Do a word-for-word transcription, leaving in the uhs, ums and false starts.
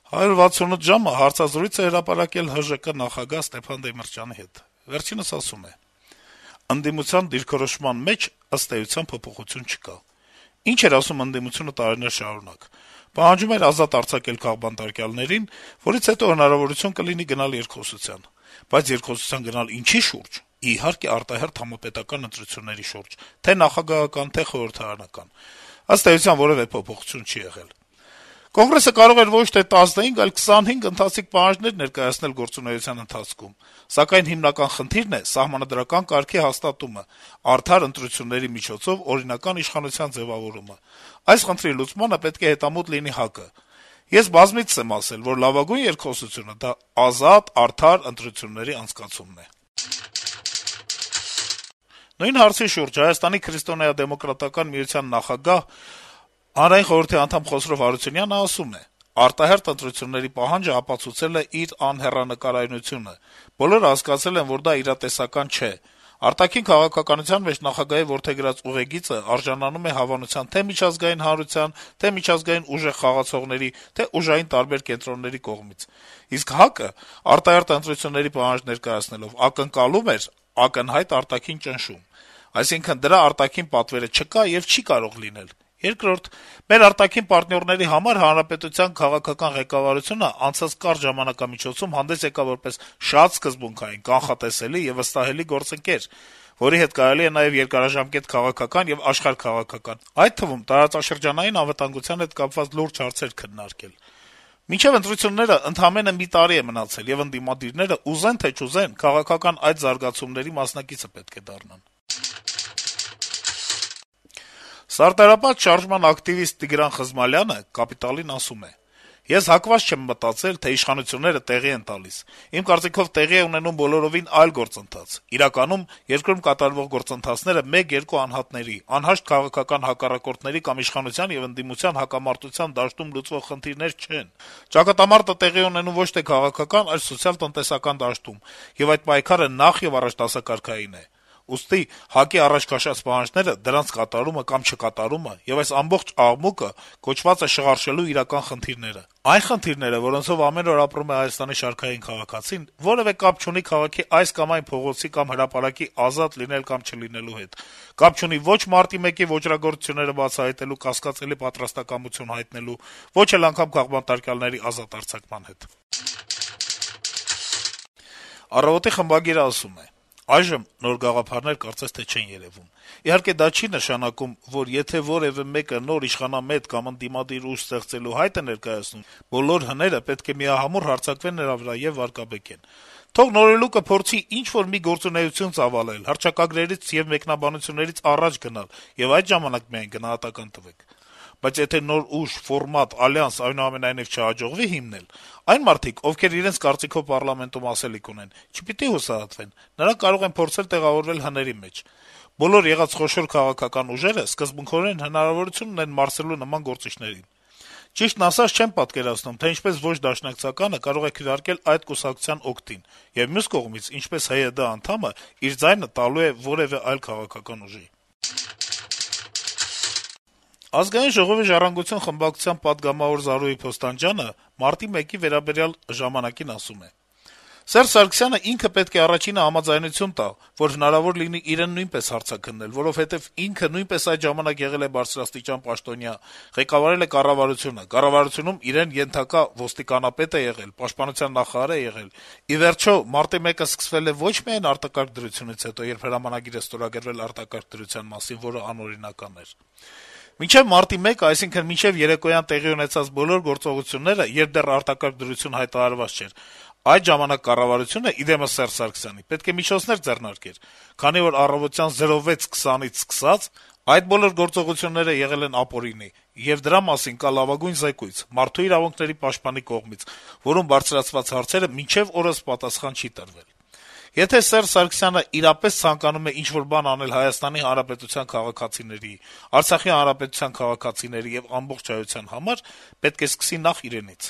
«հարյուր վաթսունութ ժամ»-ը հարցազրույց է հրապարակել ՀԺԿ նախագահ Ստեփան Դեմիրճյանի հետ: Վերջինս ասում է. - «Ընդդիմության դիրքորոշման մեջ, ըստ էության, փոփոխություն չկա: Ինչ էր ասում ընդդիմությունը տարիներ շարունակ: Պահանջում էր ազատ արձակել քաղբանտարկյալներին, որից հետո հնարավորություն կլինի գնալ երկխոսության: Բայց երկխոսության գնալ ինչի՞ շուրջ: Իհարկե, արտահերթ համապետական ընտրությունների շուրջ, թե' նախագահական, թե' խորհրդարանական: Ըստ էության, որեւէ փոփոխություն չի եղել: Կոնգրեսը կարող էր ոչ թե տասնհինգ, այլ քսանհինգ ընթացիկ պահանջներ ներկայացնել գործունեության ընթացքում: Սակայն հիմնական խնդիրն է սահմանադրական կարգի հաստատումը, արդար ընտրությունների միջոցով օրինական իշխանության ձեւավորումը: Այս խնդրի լուծմանը պետք է հետամուտ լինի ՀԱԿ-ը: Ես բազմիցս եմ ասել, որ լավագույն երկխոսությունը դա ազատ, արդար ընտրությունների անցկացումն է»: Նույն հարցի շուրջ Հայաստանի քրիստոնեա-դեմոկրատական միության նախագահ, Հանրային խորհրդի անդամ Խոսրով Հարությունյանը ասում է. - «Արտահերթ ընտրությունների պահանջը ապացուցել է իր անհեռանկարայնությունը: Բոլորը հասկացել են, որ դա իրատեսական չէ: Արտաքին քաղաքականության մեջ նախագահի որդեգրած ուղեգիծը արժանանում է հավանության թե' միջազգային հանրության, թե' միջազգային ուժեղ խաղացողների, թե' ուժային տարբեր կենտրոնների կողմից: Իսկ ՀԱԿ-ը արտահերթ ընտրությունների պահանջ ներկայացնելով ակնկալում էր ակնհայտ արտաքին ճնշում: Այսինքն` դրա արտաքին պատվերը չկա եւ չի կարող լինել: Երկրորդ, մեր արտաքին պարտներների համար հանրապետության քաղաքական ղեկավարությունը անցած կարճ ժամանակամիջոցում հանդես եկավ որպես շատ սկզբունքային, կանխատեսելի եւ վստահելի գործընկեր, որի հետ կարելի է նաեւ երկարաժամկետ քաղաքական եւ աշխարհաքաղաքական, այդ թվում` տարածաշրջանային անվտանգության հետ կապված լուրջ հարցեր քննարկել: Մինչեւ ընտրությունները ընդամենը մի տարի է մնացել, եւ ընդդիմադիրները, ուզեն թե չուզեն, քաղաքական այդ զարգացումների մասնակիցը պետք է դառնան»: Սարտահրապատ շարժման ակտիվիստ Տիգրան Խզմալյանը «Կապիտալ»-ին ասում է. - «Ես հակված չեմ մտածել, թե իշխանությունները տեղի են տալիս: Իմ կարծիքով տեղի է ունենում բոլորովին այլ գործընթաց: Իրականում երկրում կատարվող գործընթացները մեկ-երկու անհատների, անհաշտ քաղաքական հակառակորդների կամ իշխանության եւ ընդդիմության հակամարտության դաշտում լուծվող խնդիրներ չեն: Ճակատամարտը տեղի է ունենում ոչ թե քաղաքական, այլ սոցիալ-տնտեսական դաշտում, եւ այդ պայքարը նախ-եւ-առաջ դասակարգային է: Ուստի ՀԱԿ-ի առաջ քաշած պահանջները, դրանց կատարումը կամ չկատարումը եւ այս ամբողջ աղմուկը կոչված է շղարշելու իրական խնդիրները: Այն խնդիրները, որոնցով ամեն օր ապրում է Հայաստանի շարքային քաղաքացին, որեւէ կապ չունի քաղաքի այս կամ այն փողոցի կամ հրապարակի ազատ լինել կամ չլինելու հետ, կապ չունի ոչ Մարտի մեկի ոճրագործությունները բացահայտելու կասկածելի պատրաստակամություն հայտնելու, ոչ էլ անգամ քաղբանտարկյալների ազատ արձակման հետ»: «Առավոտ»-ի խմբագիրը ասում է. - «Այժմ նոր գաղափարներ կարծես թե չեն երեւում: Իհարկե դա չի նշանակում, որ եթե որեւէ մեկը նոր իշխանամետ կամ ընդդիմադիր ուժ ստեղծելու հայտ է ներկայացնում, բոլոր հները պետք է միահամուռ հարձակվեն նրա վրա եւ վարկաբեկեն: Թող նորելուկը փորձի ինչ-որ մի գործունեություն ծավալել, հռչակագրերից եւ մեկնաբանություններից առաջ գնալ, եւ այդ ժամանակ միայն գնահատական տվեք: Բայց եթե նոր ուժ, ֆորմատ, ալյանս այնուամենայնիվ չհաջողվի հիմնել, այն մարդիկ, ովքեր իրենց կարծիքով պառլամենտում ասելիք ունեն, չպիտի հուսահատվեն, նրանք կարող են փորձել տեղավորվել հների մեջ: Բոլոր եղած խոշոր քաղաքական ուժերը սկզբունքորեն հնարավորություն ունեն մարսելու նման գործիչներին: Ճիշտն ասած, չեմ պատկերացնում, թե ինչպես ոչ դաշնակցականը կարող է քվեարկել այդ կուսակցության օգտին, եւ մյուս կողմից, ինչպես ՀՅԴ անդամը իր ձայնը տալու է որեւէ այլ քաղաքական ուժի»: Ազգային ժողովի «Ժառանգություն» խմբակցության պատգամավոր Զարուհի Փոստանջյանը մարտի մեկի վերաբերյալ «Ժամանակ»-ին ասում է. - «Սերժ Սարգսյանը ինքը պետք է առաջինը համաձայնություն տա, որ հնարավոր լինի իրեն նույնպես հարցաքննել, որովհետեւ ինքը նույնպես այդ ժամանակ եղել է բարձրաստիճան պաշտոնյա, ղեկավարել է կառավարությունը, կառավարությունում իրեն ենթակա ոստիկանապետ է եղել, պաշտպանության նախարար է եղել: Ի վերջո, մարտի մեկը սկսվել է ոչ միայն արտակարգ դրությունից հետո, երբ հրամանագիր է ստորագրվել արտակարգ դրության մասին, որը անօրինական էր: Մինչեւ մարտի մեկը, այսինքն մինչեւ երեկոյան տեղի ունեցած բոլոր գործողությունները, երբ դեռ արտակարգ դրություն հայտարարված չէր, այդ ժամանակ կառավարությունը, ի դեմս Սերժ Սարգսյանի, պետք է միջոցներ ձեռնարկեր, քանի որ առավոտյան զրո վեց քսանից սկսած այդ բոլոր գործողությունները եղել են ապօրինի, եւ դրա մասին կա լավագույն զեկույց Մարդու իրավունքների պաշտպանի կողմից, որում բարձրացված հարցերը մինչեւ օրս պատասխան չի տրվել: Եթե Սերժ Սարգսյանը իրապես ցանկանում է ինչ-որ բան անել Հայաստանի Հանրապետության քաղաքացիների, Արցախի Հանրապետության քաղաքացիների եւ ամբողջ հայության համար, պետք է սկսի նախ իրենից»: